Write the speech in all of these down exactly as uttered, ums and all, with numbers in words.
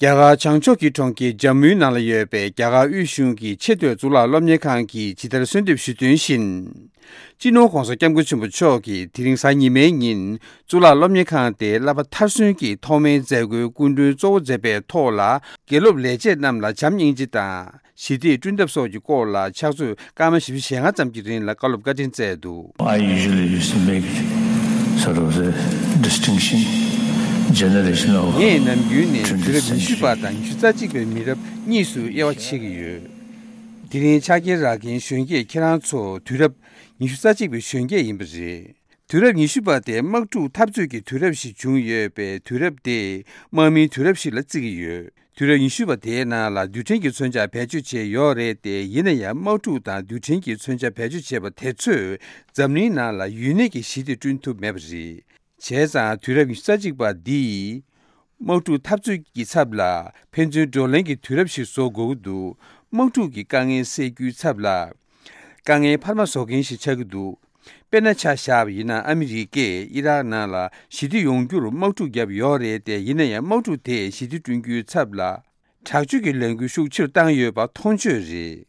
རྒྱ་གར་བྱང་ཕྱོགས་ཀྱི་གྲོང་ཁྱེར་ཇམ་མུའི་ནང་ལ་ཡོད་པའི་རྒྱ་གར་དབུས་གཞུང་གི་ཆེས་མཐོའི་གཙུག་ལག་སློབ་གཉེར་ཁང་གིས་ཇི་ལྟར་གསོལ་འདེབས་ཞུས་དོན་བཞིན། སྤྱི་ནོར་༧གོང་ས་༧སྐྱབས་མགོན་ཆེན་པོ་མཆོག་གིས་དེ་རིང་གཟའ་ཉི་མའི་ཉིན་གཙུག་ལག་སློབ་གཉེར་ཁང་དེའི་བསླབ་པ་མཐར་སོན་གྱི་ཐོག་མའི་མཛད་སྒོའི་སྐུ་མགྲོན་གཙོ་བོ་མཛད་པའི་ཐོག་ལ། དགེ་སློབ་ལས་བྱེད་རྣམས་ལ་བྱམས་སྙིང་རྗེ་དང་ཞི་བདེ་བསྐྲུན་ཐབས་སོགས་ཀྱི་སྐོར་ལ་ཕྱག་ཚོད་སྐར་མ་བཞི་བཅུ་ཞེ་ལྔ་ཙམ་གྱི་རིང་ལ་བཀའ་སློབ་བཀའ་དྲིན་སྩལ་འདུག། I usually used to make sort of the distinction, generation of ངས་ནམ་རྒྱུན་ནས་དུས་རབས་ཉི་ཤུ་པ་དང་ཉི་ཤུ་རྩ་གཅིག་པའི་མི་རབས་གཉིས་སུ་དབྱེ་བ་ཕྱེ་གི་ཡོད། དེ་རིང་ཕྱག་འཁྱེར་རག་མཁན་གཞོན་སྐྱེས་ཁྱེད་རང་ཚོ་དུས་རབས་ཉི་ཤུ་རྩ་གཅིག་པའི་གཞོན་སྐྱེས་ཡིན་པ་རེད། དུས་རབས་ཉི་ཤུ་པ་དེ་དམག་འཁྲུག་འཐབ་རྩོད་ཀྱི་དུས་རབས་ཤིག་བྱུང་ཡོད་པས། དུས་རབས་དེ་དམག་མིའི་དུས་རབས་ཤིག་ལ་བརྩི་གི་ཡོད། དུས་རབས་ཉི་ཤུ་པ་དེའི་ནང་ལ་རྡུལ་ཕྲན་གྱི་མཚོན་ཆ་བེད་སྤྱོད་བྱས་ཡོད་རེད་དེ། ཡིན་ན་ཡང་དམག་འཁྲུག་དང་རྡུལ་ཕྲན་གྱི་མཚོན་ཆ་བེད་སྤྱོད་བྱས་པ་དེ་ཚོས་འཛམ་གླིང་ནང་ལ་ཡུན་གནས་ཀྱི་ཞི་བདེ་བསྐྲུན་ཐུབ་མེད་པ་རེད། བྱས་ཙང་དུས་རབས་ཉི་ཤུ་རྩ་གཅིག་པ་འདིས་དམག་འཁྲུག་འཐབ་རྩོད་ཀྱི་ཚབ་ལ་ཕན་ཚུན་བགྲོ་གླེང་གི་དུས་རབས་ཤིག་བཟོ་དགོས་ཀྱི་འདུག། དམག་འཁྲུག་གི་དཀའ་ངལ་སེལ་རྒྱུའི་ཚབ་ལ་དཀའ་ངལ་འཕར་མ་བཟོ་མཁན་ཞིག་ཆགས་ཀྱི་འདུག། དཔེར་ན་ཆ་བཞག་པ་ཡིན་ན། ཨ་མི་རི་ཀས་ཨི་རག་ནང་ལ་ཞི་བདེ་ཡོང་རྒྱུར་དམག་འཁྲུག་བརྒྱབ་ཡོད་རེད་དེ། ཡིན་ན་ཡང་དམག་འཁྲུག་དེས་ཞི་བདེ་བསྐྲུན་རྒྱུའི་ཚབ་ལ་དྲག་སྤྱོད་ཀྱི་ལས་འགུལ་ཤུགས་ཆེ་རུ་བཏང་ཡོད་པ་མཐོང་ཆོས་རེད།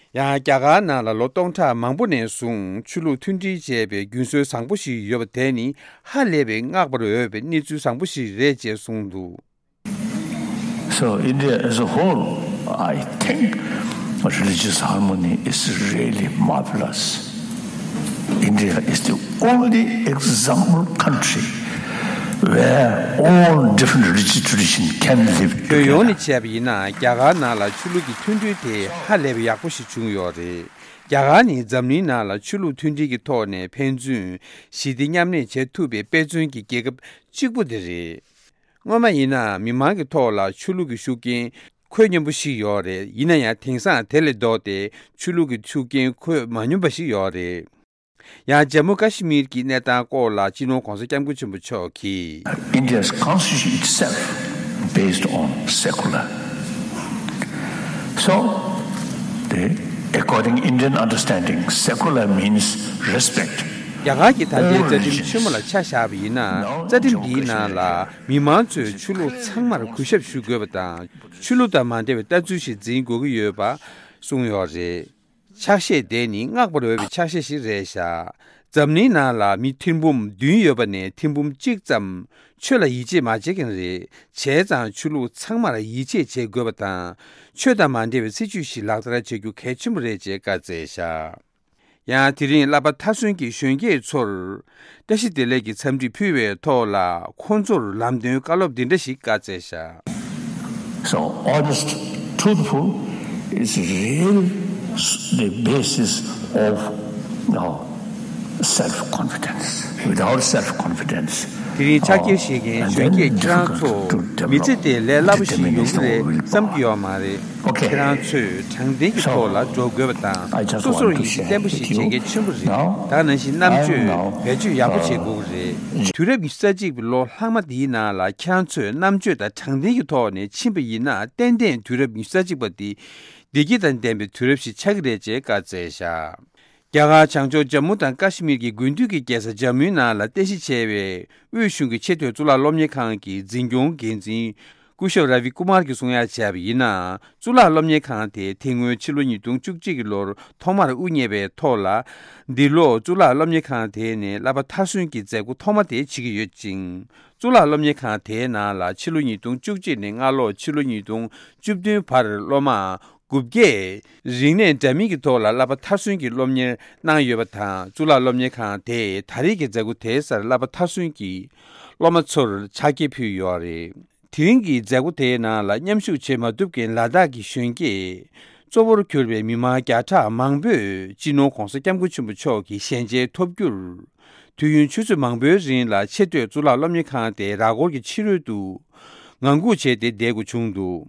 ཡང་རྒྱ་གར་ནང་ལ་ལོ་སྟོང་ཕྲག་མང་པོ་ནས་བཟུང་ཆོས་ལུགས་མཐུན་སྒྲིལ་བྱས་པའི་རྒྱུན་སྲོལ་བཟང་པོ་ཞིག་ཡོད་པ་དེ་ནི་ཧ་ལས་པའི་བསྔགས་པར་འོས་པའི་གནས་ཚུལ་བཟང་པོ་ཞིག་རེད་ཅེས་གསུངས་འདུག། So, India as a whole, I think religious harmony is really marvelous. India is the only example country where all different religious traditions can live together. ཁྱོན་ཡོངས་ནས་བྱས་པ་ཡིན་ན། རྒྱ་གར་ནང་ལ་ཆོས་ལུགས་ཀྱི་མཐུན་སྒྲིལ་དེ་ཧ་ལས་པའི་ཡག་པོ་ཞིག་བྱུང་ཡོད་རེད། རྒྱ་གར་ནི་འཛམ་གླིང་ནང་ལ་ཆོས་ལུགས་མཐུན་སྒྲིལ་གྱི་ཐོག་ནས་ཕན་ཚུན་ཞི་བདེ་མཉམ་གནས་བྱེད་ཐུབ་པའི་དཔེ་མཚོན་གྱི་རྒྱལ་ཁབ་གཅིག་པུ་དེ་རེད། སྔོན་མ་ཡིན་ན་མི་མང་གི་ཐོག་ལ་ཆོས་ལུགས་ཀྱི་ཤུགས་རྐྱེན་འཁོད་སྙོམས་པོ་ཞིག་ཡོད་རེད། ཡིན་ན་ཡང་དེང་སང་དེ་ལས་ལྡོག་སྟེ་ཆོས་ལུགས་ཀྱི་ཤུགས་རྐྱེན་འཁོད་མ་སྙོམས་པ་ཞིག་ཡོད་རེད། ཡང་ཇམ་མུ་ཀ་ཤི་མིར་གྱི་གནས་སྟངས་སྐོར་ལ་སྤྱི་ནོར་༧གོང་ས་༧སྐྱབས་མགོན་ཆེན་པོ་མཆོག་གིས། India's constitution itself based on secular. So, the according Indian understanding, secular means respect. རྒྱ་གར་གྱི་ད་ལྟའི་རྩ་ཁྲིམས་ཆེན་མོ་ལ་ཆ་བཞག་པ་ཡིན་ན། རྩ་ཁྲིམས་འདིའི་ནང་ལ་མི་མང་ཚོས་ཆོས་ལུགས་ཚང་མར་གུས་ཞབས་ཞུ་དགོས་པ་དང་། ཆོས་ལུགས་དང་མ་འབྲེལ་བའི་ལྟ་ཚུལ་ཞིག་འཛིན་དགོས་ཀྱི་ཡོད་པ་གསུངས་ཡོད་རེད། ཕྱག་བཞེས་དེ་ནི་བསྔགས་པར་འོས་པའི་ཕྱག་བཞེས་ཤིག་རེད་བཞག། འཛམ་གླིང་ནང་ལ་མི་ཐེར་འབུམ་བདུན་ཡོད་པ་ནས་ཐེར་འབུམ་གཅིག་ཙམ་ཆོས་ལ་ཡིད་ཆེས་མ་བྱེད་མཁན་རེད། བྱས་ཙང་ཆོས་ལུགས་ཚང་མར་ཡིད་ཆེས་བྱེད་དགོས་པ་དང་། ཆོས་དང་མ་འབྲེལ་བའི་སྲིད་བྱུས་ཤིག་ལག་བསྟར་བྱེད་རྒྱུ་གལ་ཆེན་པོ་རེད་ཅེས་བཀའ་སྩལ་བཞག། ཡང་དེ་རིང་བསླབ་པ་མཐར་སོན་གྱི་གཞོན་སྐྱེས་ཚོར་བཀྲ་ཤིས་བདེ་ལེགས་ཀྱི་འཚམས་འདྲི་ཕུལ་བའི་ཐོག་ལ། ཁོང་ཚོར་ལམ་སྟོན་བཀའ་སློབ་འདི་འདྲ་ཞིག་བཀའ་སྩལ་བཞག། So, honest, truthful is real the basis of, uh, self-confidence. Without self-confidence, དེ་རིང་ཕྱག་འཁྱེར་བཞེས་མཁན་གཞོན་སྐྱེས་ཁྱེད་རང་ཚོ་མི་ཚེ་དེ་ལས་སླ་པོ་ཞིག་ཡོང་གི་རེད་བསམ་གྱི་ཡོད་མ་རེད། ཁྱེད་རང་ཚོས་དྲང་བདེན་གྱི་ཐོག་ལ་འགྲོ་དགོས་པ་དང་། སོ་སོར་ཡིད་ཆེས་བརྟན་པོ་ཞིག་བྱེད་གལ་ཆེན་པོ་རེད། ད་ག་ནང་བཞིན་རྣམ་དཔྱོད་བེད་སྤྱོད་ཡག་པོ་བྱེད་དགོས་ཀྱི་རེད། དུས་རབས་ཉི་ཤུ་རྩ་གཅིག་པའི་ལོ་ལྷག་མ་འདིའི་ནང་ལ་ཁྱེད་རང་ཚོས་རྣམ་དཔྱོད་དང་དྲང་བདེན་གྱི་ཐོག་ནས་ཕྱིན་པ་ཡིན་ན། ཏན་ཏན་དུས་རབས་ཉི་ཤུ་རྩ་གཅིག་པ་འདི་བདེ་སྐྱིད་དང་ལྡན་པའི་དུས་རབས་ཤིག་ཆགས་ཀྱི་རེད་ཅེས་བཀའ་སྩལ་བཞག། རྒྱ་གར་བྱང་ཕྱོགས་ཇམ་མུ་དང་ཀ་ཤི་མིར་གྱི་དགུན་དུས་ཀྱི་རྒྱལ་ས་ཇམ་མུའི་ནང་ལ་རྟེན་གཞི་བྱས་པའི་དབུས་གཞུང་གི་ཆེས་མཐོའི་གཙུག་ལག་སློབ་གཉེར་ཁང་གི་འཛིན་སྐྱོང་འགན་འཛིན་སྐུ་ཞབས་ར་བི་ཀུ་མར་གྱིས་གསུང་ཡ་བྱས་པ་ཡིན་ན། གཙུག་ལག་སློབ་གཉེར་ཁང་དེ་དེ་སྔོན་ཕྱི་ལོ་ཉིས་སྟོང་བཅུ་གཅིག་གི་ལོར་ཐོག་མར་དབུ་བརྙེས་པའི་ཐོག་ལ། འདི་ལོ་གཙུག་ལག་སློབ་གཉེར་ཁང་དེ་ནས་བསླབ་པ་མཐར་སོན་གྱི་མཛད་སྒོ་ཐོག་མ་དེ་བྱེད་ཀྱི་ཡོད་ཅིང་། གཙུག་ལག་སློབ་གཉེར་ཁང་དེའི་ནང་ལ་ཕྱི་ལོ་ཉིས་སྟོང་བཅུ་གཅིག་ནས་སྔ་ལོ་ཕྱི་ལོ་ཉིས་སྟོང་བཅུ་བདུན་བར་སློབ་མ་དགུ་བརྒྱས་རིག་གནས་འདྲ་མིན་གྱི་ཐོག་ལ་བསླབ་པ་མཐར་སོན་གྱི་སློབ་གཉེར་གནང་ཡོད་པ་དང་། གཙུག་ལག་སློབ་གཉེར་ཁང་དེས་ད་རེས་ཀྱི་མཛད་སྒོ་དེའི་སར་བསླབ་པ་མཐར་སོན་གྱི་སློབ་མ་ཚོར་ཕྱག་འཁྱེར་ཕུལ་ཡོད་རེད། དེ་རིང་གི་མཛད་སྒོ་དེའི་ནང་ལ་མཉམ་ཞུགས་བྱེད་མ་ཐུབ་མཁན་ལ་དྭགས་ཀྱི་གཞོན་སྐྱེས་གཙོ་བོར་གྱུར་པའི་མི་མང་བརྒྱ་ཕྲག་མང་པོས་སྤྱི་ནོར་༧གོང་ས་༧སྐྱབས་མགོན་ཆེན་པོ་མཆོག་གི་ཞལ་མཇལ་ཐོབ་རྒྱུར། དུས་ཡུན་ཆུ་ཚོད་མང་པོའི་རིང་ལ་ཆེས་མཐོའི་གཙུག་ལག་སློབ་གཉེར་ཁང་དེའི་ར་སྐོར་གྱི་ཕྱི་རོལ་དུ་ངང་སྒུག་བྱས་ཏེ་བསྡད་དགོས་བྱུང་འདུག།